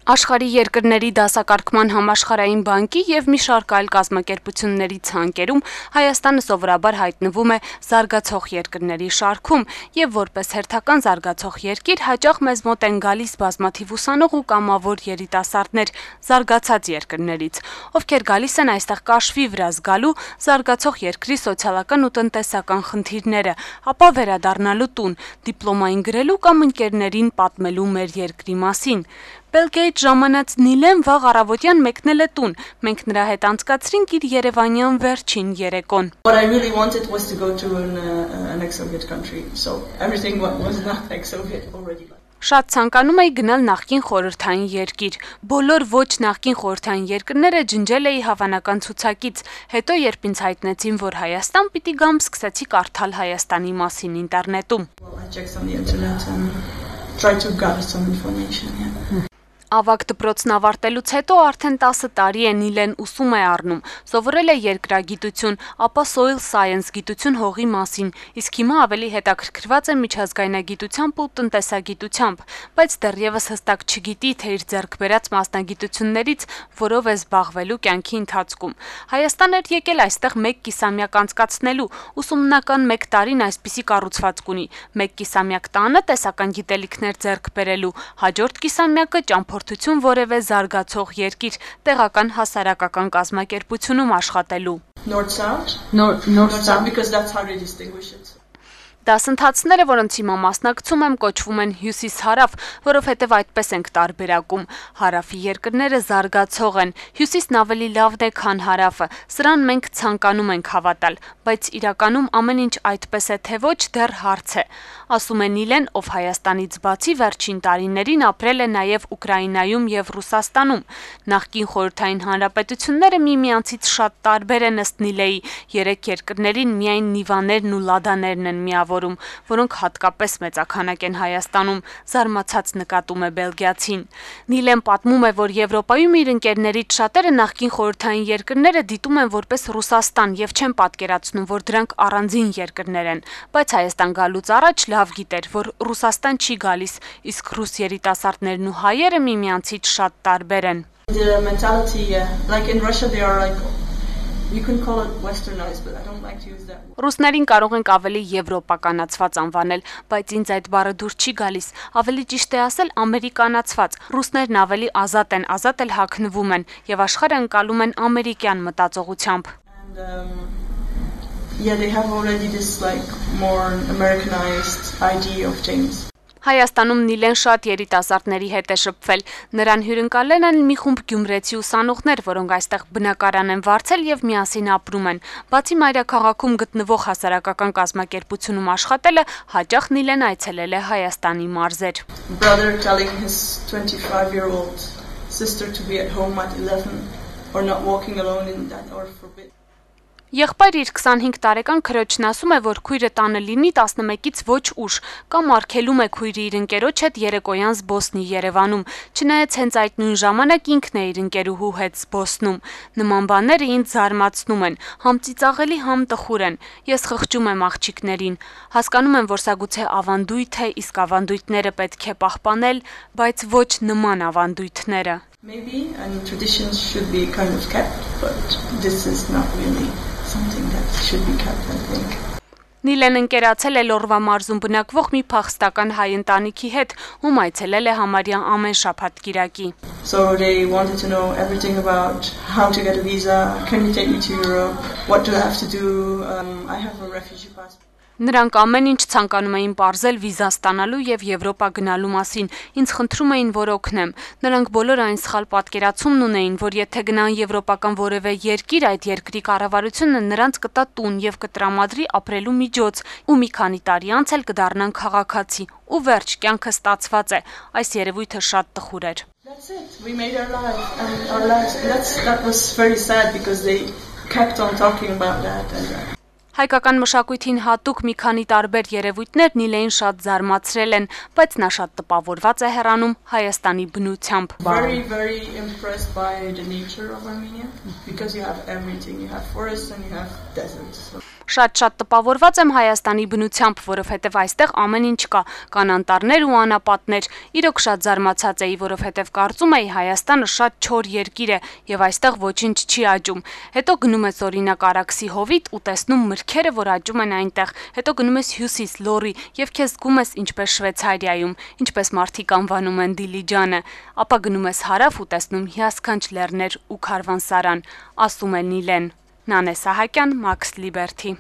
Աշխարհի երկրների դասակարգման համաշխարհային բանկի եւ մի շարք այլ կազմակերպությունների ցանկերում Հայաստանը սովորաբար հայտնվում է զարգացող երկրների շարքում եւ որպես հերթական զարգացող երկիր հաճախ մեզ մոտ են գալիս բազմաթիվ ուսանող ու կամավոր երիտասարդներ զարգացած երկրներից, ովքեր գալիս են այստեղ կաշվի վրա զգալու զարգացող երկրի սոցիալական ու տնտեսական խնդիրները, ապա վերադառնալու տուն, դիպլոմային գրելու կամ ընկերներին պատմելու մեր երկրի մասին։ Բելգիայից ժամանած Նիլեն վաղ առավոտյան մեկնել է տուն, մենք նրա հետ անցկացրինք իր երևանյան վերջին երեկոն։ What I really wanted was to go to an ex-Soviet country, so everything was not ex-Soviet already. Շատ ցանկանում էի գնալ նախկին խորհրդային երկիր։ Բոլոր ոչ նախկին խորհրդային երկրները ջնջել էի հավանական ցուցակից։ Հետո երբ ինձ հայտնեցին, որ Հայաստան պիտի գամ, սկսեցի կարդալ Հայաստանի մասին ինտերնետում։ I checked on the internet and tried to gather some information, yeah. Ավագ դպրոցն ավարտելուց հետո արդեն 10 տարի է Նիլեն ուսում է առնում, սովորել է երկրագիտություն, ապա soil science գիտություն հողի մասին, իսկ հիմա ավելի հետաքրքրված է միջազգայնագիտությամբ ու տնտեսագիտությամբ, բայց դեռևս հստակ չգիտի, թե իր ձեռք բերած մասնագիտություններից որով է զբաղվելու կյանքի ընթացքում։ Հայաստան էր եկել այստեղ 1 կիսամյակ անցկացնելու, ուսումնական 1 տարին այսպիսի կառուցվածք ունի, 1 կիսամյակ տանը տեսական գիտելիքներ ձեռք բերելու, հաջորդ կիսամյակը ճամփորդություն որևէ զարգացող երկիր, տեղական հասարակական կազմակերպությունում աշխատելու։ North-South, because that's how they distinguish it. Դասընթացները, որոնց հիմա մասնակցում եմ, կոչվում են հյուսիս-հարավ, որովհետև այդպես ենք տարբերակում։ Հարավի երկրները զարգացող են, հյուսիսն ավելի լավն է, քան հարավը։ Սրան մենք ցանկանում ենք հավատալ, բայց իրականում ամեն ինչ այդպես է, թե ոչ, դեռ հարց է։ Ասում է Նիլեն, ով Հայաստանից բացի վերջին տարիներին ապրել է նաև Ուկրաինայում եւ Ռուսաստանում։ Նախկին խորհրդային հանրապետությունները միմյանցից շատ տարբեր են ըստ Նիլեի, 3 երկրներին միայն Նիվաներն ու Լադաներն են միավորում, որոնք հատկապես մեծաքանակ են Հայաստանում, զարմացած նկատում է բելգիացին։ Նիլեն պատմում է, որ Եվրոպայում իր ընկերներից շատերը նախկին խորհրդային երկրները դիտում են որպես Ռուսաստան եւ չեն պատկերացնում, որ դրանք առանձին երկրներ են, բայց Հայաստան գալուց առաջ լավ գիտեր, որ Ռուսաստան չի գալիս, իսկ ռուս երիտասարդներն ու հայերը միմյանցից շատ տարբեր են։ The mentality, like in Russia, they are like, you can call it westernized, but I don't like to use that word. Ռուսներին կարող ենք ավելի եվրոպականացված անվանել, բայց ինձ այդ բառը դուր չի գալիս, ավելի ճիշտ է ասել ամերիկանացված։ Ռուսներն ավելի ազատ են, ազատ էլ հագնվում են եւ աշխարհը ընկալում են ամերիկյան մտածողությամբ։ Yeah, they have already this like more Americanized idea of things. Հայաստանում Նիլեն շատ երիտասարդների հետ է շփվել։ Նրան հյուրընկալել են մի խումբ գյումրեցի ուսանողներ, որոնք այստեղ բնակարան են վարձել եւ միասին ապրում են։ Բացի մայրաքաղաքում գտնվող հասարակական կազմակերպությունում աշխատելը, հաճախ Նիլեն այցելել է Հայաստանի մարզեր։ Brother telling his 25-year-old sister to be at home at 11 or not walking alone in that or forbid. Եղբայր իր 25 տարեկան քրոջն ասում է, որ քույրը տանը լինի 11-ից ոչ ուշ, կամ արգելում է քույրը իր ընկերոջ հետ երեկոյան զբոսնի Երևանում, չնայած հենց այդ նույն ժամանակ ինքն է իր ընկերուհու հետ զբոսնում։ Նման բաները ինձ զարմացնում են, համ ծիծաղելի, համ տխուր են։ Ես խղճում եմ աղջիկներին։ Հասկանում եմ, որ սա գուցե ավանդույթ է, իսկ ավանդույթները պետք է պահպանել, բայց ոչ նման ավանդույթները։ Maybe and traditions should be kind of kept, but this is not really something that should be kept, I think. Նիլեն ընկերացել է Լորվա մարզում բնակվող մի փախստական հայ ընտանիքի հետ, ում այցելել է համարյա ամեն շաբաթ կիրակի։ So they wanted to know everything about how to get a visa, can you take me to Europe, what do I have to do, I have a refugee passport. Նրանք ամեն ինչ ցանկանում էին պարզել վիզա ստանալու եւ Եվրոպա գնալու մասին, ինձ խնդրում էին, որ օգնեմ։ Նրանք բոլոր այն սխալ պատկերացումն ունեին, որ եթե գնան եվրոպական որևէ երկիր, այդ երկրի կառավարությունը նրանց կտա տուն եւ կտրամադրի ապրելու միջոց, ու մի քանի տարի անց էլ կդառնան քաղաքացի։ Ու վերջ, կյանքը ստացված է։ Այս երևույթը շատ տխուր էր։ That's it. We made our life and our lives. That was very sad because they kept on talking about that and Հայկական մշակույթին հատուկ մի քանի տարբեր երևույթներ Նիլեին շատ զարմացրել են, բայց նա շատ տպավորված է հեռանում Հայաստանի բնությամբ։ Very impressed by the nature of Armenia because you have everything. You have forests and you have deserts. Շատ տպավորված եմ Հայաստանի բնությամբ, որովհետև այստեղ ամեն ինչ կա, կան անտառներ ու անապատներ։ Իրոք շատ զարմացած էի, որովհետև կարծում էի Հայաստանը շատ չոր երկիր է եւ այստեղ ոչինչ չի աճում։ Հետո գնում ես օրինակ Արաքսի հովիտ ու տեսնում մրգերը, որ աճում են այնտեղ։ Հետո գնում ես հյուսիս լոռի եւ քեզ զգում ես ինչպես Շվեյցարիայում, ինչպես մարդիկ անվանում են Դիլիջանը։ Ապա գնում ես հարավ ու տեսնում հիասքանչ լեռներ ու քարվանսարան, ասում է Նիլեն։ Նանե Սահակյան, Max Liberty։